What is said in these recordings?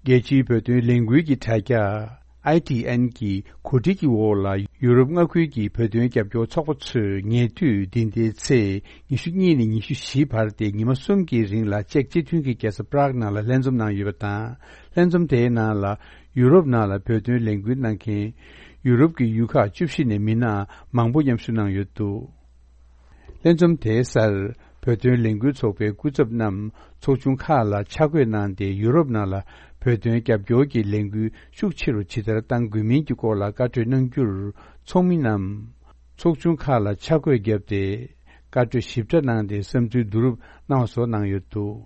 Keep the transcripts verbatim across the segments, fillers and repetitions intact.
རྒྱལ་སྤྱིའི་བོད་དོན་ལས་འགུལ་གྱི་དྲ་རྒྱ་ཨའི་ཊི་ཨེན་གྱི་གོ་སྒྲིག་གི་འོག་ལ་ཡུ་རོབ་མངའ་ཁུལ་གྱི་བོད་དོན་རྒྱབ་སྐྱོར་ཚོགས་པ་ཚོས་ཉེ་དུས་འདི་ཟླའི་ཚེས་ཉི་ཤུ་གཉིས་ནས་ཉི་ཤུ་བཞི་བར་ཏེ་ཉི་མ་གསུམ་གྱི་རིང་ལ་ཅེཀ་སྤྱི་མཐུན་གྱི་རྒྱལ་ས་པ་རག་ནང་ལ་ལྷན་འཛོམས་གནང་ཡོད་པ་དང་། ལྷན་འཛོམས་དེའི་ནང་ལ་ཡུ་རོབ་ནང་ལ་བོད་དོན་ལས་འགུལ་གནང་མཁན་ཡུ་རོབ་ཀྱི་ཡུལ་ཁག་བཅུ་བཞི་ནས་མི་སྣ་མང་པོ་མཉམ་ཞུགས་གནང་ཡོད་འདུག་ལྷན་འཛོམས་དེའི་སར་བོད་དོན་ལས་འགུལ་ཚོགས་པའི་སྐུ་ཚབ་རྣམས་ཚོགས་ཆུང་ཁག་ལ་ཆ་བགོས་གནང་སྟེ། ཡུ་རོབ་ནང་ལ་བོད་དོན་རྒྱབ་སྐྱོར་གྱི་ལས་འགུལ་ཤུགས་ཆེ་རུ་ཇི་ལྟར་གཏང་དགོས་མིན་གྱི་སྐོར་ལ་བཀའ་གྲོས་གནང་རྒྱུར། ཚོགས་མི་རྣམས་ཚོགས་ཆུང་ཁག་ལ་ཆ་བགོས་བརྒྱབ་སྟེ། བཀའ་གྲོས་ཞིབ་ཕྲ་གནང་སྟེ། བསམ་ཚུལ་བསྡུ་རུབ་གནང་བ་སོགས་གནང་ཡོད་འདུག་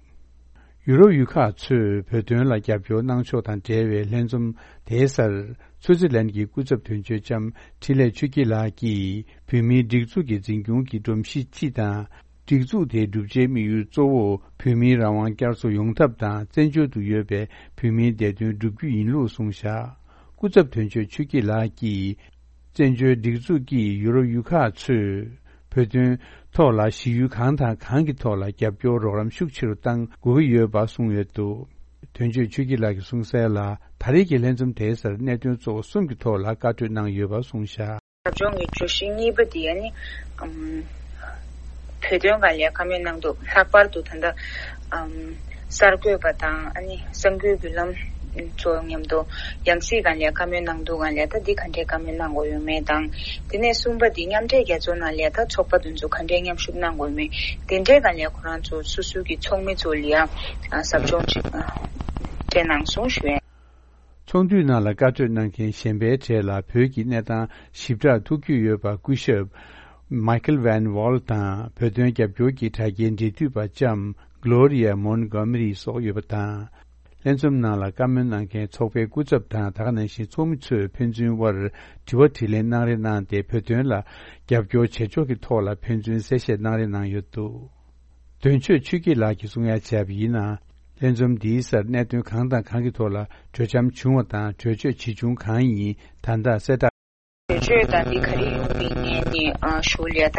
ཡུ་རོབ་ཡུལ་ཁག་ཚོས་བོད་དོན་ལ་རྒྱབ་སྐྱོར་གནང་ཕྱོགས་དང་འབྲེལ་བའི་ལྷན་འཛོམས་དེའི་སར། སུའུ་ཙི་ལན་གྱི་སྐུ་ཚབ་དོན་གཅོད་ལྕམ་འཕྲིན་ལས་ཆོས་སྐྱིད་ལགས་ཀྱིས། བོད་མིའི་སྒྲིག་འཛུགས་ཀྱི་འཛིན་སྐྱོང་གི་སྒྲོམ་གཞི་སྤྱི་དང་། སྒྲིག་འཛུགས་དེའི་བསྒྲུབ་བྱའི་དམིགས་ཡུལ་གཙོ་བོ། བོད་མིའི་རང་དབང་བསྐྱར་གསོ་ཡོང་ཐབས་དང་། བཙན་བྱོལ་དུ་ཡོད་པའི་བོད་མིའི་བདེ་དོན་བསྒྲུབ་རྒྱུ་ཡིན་ལུགས་གསུངས་བཞག་སྐུ་ཚབ་དོན་གཅོད་ཆོས་སྐྱིད་ལགས་ཀྱིས། བཙན་བྱོལ་སྒྲིག་འཛུགས་ཀྱིས་ཡུ་རོབ་ཡུལ་ཁག་ཚོས་བོད་དོན་ཐོག་ལ་གཞི་ཡུལ་གང་དང་གང་གི་ཐོག་ལ་རྒྱབ་སྐྱོར་རོགས་རམ་ཤུགས་ཆེ་རུ་གཏང་དགོས་ཀྱི་ཡོད་པ་གསུངས་ཡོད་འདུག་དོན་གཅོད་ཆོས་སྐྱིད་ལགས་ཀྱིས་གསུངས་གསལ་ལ། ད་རེས་ཀྱི་ལྷན་འཛོམས་དེའི་སར་གནད་དོན་གཙོ་བོ་གསུམ་གྱི་ཐོག་ལ་བཀའ་གྲོས་གནང་ཡོད་པ་གསུངས་བཞག་ཟབ་སྦྱོང་གི་བརྗོད་གཞི་གཉིས་པ་དེ་ཨ་ནི་ཨམ། བོད་དོན་སྒང་ལ་བཀའ་མོལ་གནང་འདུག་ལྷག་པར་དུ་ད་ལྟ་ཨམ། གསར་འགོད་པ་དང་ཨ་ནི་གསར་འགོད་བརྒྱུད་ལམ་ཚོ་མཉམ་དུ་ཡང་སྲིད་སྒང་ལ་བཀའ་མོལ་གནང་འདུག་སྒང་ལ་ད་འདི་ག་འདྲའི་བཀའ་མོལ་གནང་དགོས་ཡོད་མེད་དང་། དེ་ནས་གསུམ་པ་འདི་མཉམ་འབྲེལ་རྒྱལ་ཚོགས་ནང་ལ་ད་ཚོགས་པ་དེ་ཚོ་ག་འདྲའི་མཉམ་ཞུགས་གནང་དགོས་ཡོད་མེད། དེ་འདྲའི་སྒང་ལ་ཁོ་རང་ཚོ་སོ་སོའི་གི་ཚོགས་མི་ཚོ་ལ་ཡང་ཟབ་སྦྱོང་ཅིག་སྤྲད་གནང་སོང་ཞུ་ཡ། ཚོགས་འདུའི་ནང་ལ་བཀའ་གྲོས་གནང་མཁན་གཞན་པའི་གྲས་ལ་བོད་ཀྱི་གནས་སྟངས་ཞིབ་ཕྲར་ཐུགས་འཁྱོད་ཡོད་པ་སྐུ་ཞབས་Michael Van Wall དང་། བོད་དོན་རྒྱབ་སྐྱོར་གྱི་དྲ་རྒྱའི་འབྲེལ་མཐུད་པ་ལྕམ་Gloria Montgomery སོགས་ཡོད་པ་དང་། ལྷན་འཛོམས་ནང་ལ་བཀའ་མོལ་གནང་མཁན་ཚོགས་པའི་སྐུ་ཚབ་དང་། ད་ག་ནང་བཞིན་ཚོགས་མི་ཚོས་ཕན་ཚུན་དབར་དྲི་བ་དྲིས་ལན་གནང་རེ་གནང་སྟེ། བོད་དོན་ལ་རྒྱབ་སྐྱོར་བྱེད་ཕྱོགས་ཀྱི་ཐོག་ལ་ཕན་ཚུན་གསལ་བཤད་གནང་རེ་གནང་ཡོད་འདུག་དོན་གཅོད་ཆོས་སྐྱིད་ལགས་ཀྱིས་གསུང་ཡ་བྱས་པ་ཡིན་ན། ལྷན་འཛོམས་འདིའི་སར་གནད་དོན་གང་དང་གང་གི་ཐོག་ལ་གྲོས་འཆམ་བྱུང་བ་དང་། གྲོས་ཆོད་ཇི་བྱུང་གང་ཡིན་ད་ལྟ་གསལ་བསྒྲགས། གྲོས་ཆོད་དང་འདི་ག་རེ་ཡོང་མིན་ངས་ནི་ཨ་ཞུ་ལ་ད་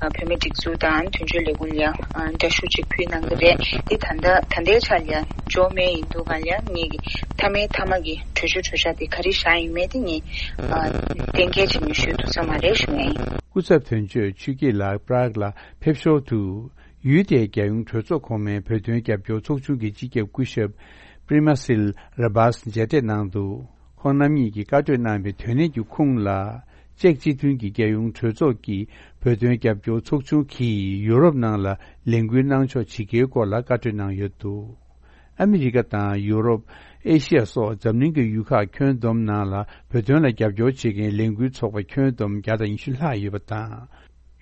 ཨ་བོད་མི་སྒྲིག་འཛུགས་དང་དོན་གཅོད་ལས་ཁུངས་ལ་ཨ་འདྲི་ཞུ་ཅིག་ཕུལ་གནང་གི་རེད། འདི་ད་ལྟ་ད་ལྟའི་ཆ་ལ་འབྱོར་མེད་ཡིན་འདུག་ག་ལ་ངས་ཀྱི་མཐའ་མའི་མཐའ་མ་གི་གྲོས་ཆོད་གྲོས་འཆར་འདི་ག་རེ་བཞག་ཡིན་མེད་དེ་ངས་ཨ་གཏན་འཁེལ་བྱེད་ནས་ཞུ་ཐུབ་ས་མ་རེད་ཞུ་ཡ་ཡིན། སྐུ་ཚབ་དོན་གཅོད་ཆོས་སྐྱིད་ལགས་པ་རག་ལ་ཕེབས་ཞོར་དུ། ཡུལ་དེའི་རྒྱལ་ཡོངས་གྲོས་ཚོགས་གོང་མའི་བོད་དོན་རྒྱབ་སྐྱོར་ཚོགས་ཆུང་གི་སྤྱི་ཁྱབ་སྐུ་ཞབས་པྲི་མ་སིལ་ར་བཱས་མཇལ་འཕྲད་གནང་འདུག་ཁོང་རྣམ་གཉིས་ཀྱིས་བཀའ་གྲོས་གནང་བའི་དོན་གནད་ཀྱི་ཁུངས་ལ། ཅེཀ་སྤྱི་མཐུན་གྱི་རྒྱལ་ཡོངས་གྲོས་ཚོགས་ཀྱི་བོད་དོན་རྒྱབ་སྐྱོར་ཚོགས་ཆུང་གིས་ཡུ་རོབ་ནང་ལ་ལས་འགུལ་གནང་ཕྱོགས་ཇི་དགེའི་སྐོར་ལ་བཀའ་གྲོས་གནང་ཡོད་འདུག་ཨ་མི་རི་ཀ་དང་ཡུ་རོབ། ཨེ་ཤི་ཡ་སོགས་འཛམ་གླིང་གི་ཡུལ་ཁག་ཁྱོན་བསྡོམས་ནང་ལ་བོད་དོན་ལ་རྒྱབ་སྐྱོར་བྱེད་མཁན་ལས་འགུལ་ཚོགས་པ་ཁྱོན་བསྡོམས་བརྒྱ་དང་ཉི་ཤུ་ལྷག་ཡོད་པ་དང་།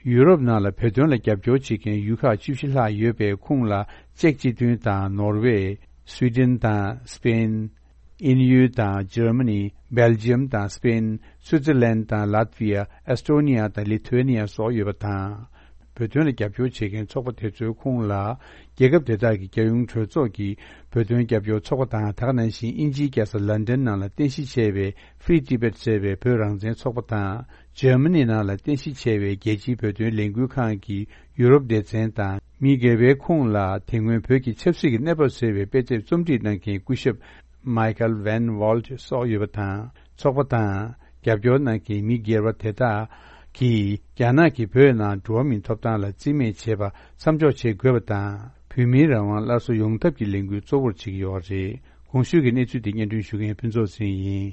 ཡུ་རོབ་ནང་ལ་བོད་དོན་ལ་རྒྱབ་སྐྱོར་བྱེད་མཁན་ཡུལ་ཁག་བཅུ་བཞི་ལྷག་ཡོད་པའི་ཁོངས་ལ་ཅེཀ་སྤྱི་མཐུན་དང་ནོར་ཝེ། སུའི་ཌེན་དང་སི་པེན། དབྱིན་ཡུལ་དང་འཇར་མ་ནི། སྦེལ་ཇི་ཡམ་དང་སི་པེན། སུའི་ཙེར་ལན་དང་ལཱཏ་ཝི་ཡ། ཨེས་ཏོ་ནི་ཡ་དང་ལི་ཐུ་ཝེ་ནི་ཡ་སོགས་ཡོད་པ་དང་། བོད་དོན་ལ་རྒྱབ་སྐྱོར་བྱེད་མཁན་ཚོགས་པ་དེ་ཚོའི་ཁོངས་ལ། རྒྱལ་ཁབ་དེ་དག་གི་རྒྱལ་ཡོངས་གྲོས་ཚོགས་ཀྱི་བོད་དོན་རྒྱབ་སྐྱོར་ཚོགས་པ་དང་། ད་ག་ནང་བཞིན་དབྱིན་ཇིའི་རྒྱལ་ས་ལན་ཌན་ནང་ལ་རྟེན་གཞི་བྱས་པའི་Free Tibet ཟེར་བའི་བོད་རང་བཙན་ཚོགས་པ་དང་། འཇར་མ་ནི་ནང་ལ་རྟེན་གཞི་བྱས་པའི་རྒྱལ་སྤྱིའི་བོད་དོན་ལས་འགུལ་ཁང་གི་ཡུ་རོབ་སྡེ་ཚན་དང་། མི་སྒེར་བའི་ཁོངས་ལ་དེ་སྔོན་བོད་ཀྱི་ཆབ་སྲིད་ཀྱི་གནས་བབ་ཟེར་བའི་དཔེ་དེབ་རྩོམ་སྒྲིག་གནང་མཁན་སྐུ་ཞབས་Michael Van Walt སོགས་ཡོད་པ་དང་། ཚོགས་པ་དང་རྒྱབ་སྐྱོར་གནང་མཁན་མི་སྒེར་བ་དེ་དག་གིས་རྒྱ་ནག་གིས་བོད་ནང་འགྲོ་བ་མིའི་ཐོབ་ཐང་ལ་བརྩི་མེད་བྱེད་པ་མཚམས་འཇོག་བྱེད་དགོས་པ་དང་། བོད་མིའི་རང་དབང་སླར་གསོ་ཡོང་ཐབས་ཀྱི་ལས་འགུལ་གཙོ་བོར་བྱེད་ཀྱི་ཡོད་པ་རེད། གོང་ཞུས་ཀྱི་གནས་ཚུལ་དེ་སྙན་སྒྲོན་ཞུ་མཁན་ཕུན་ཚོགས་ཟིན་ཡིན།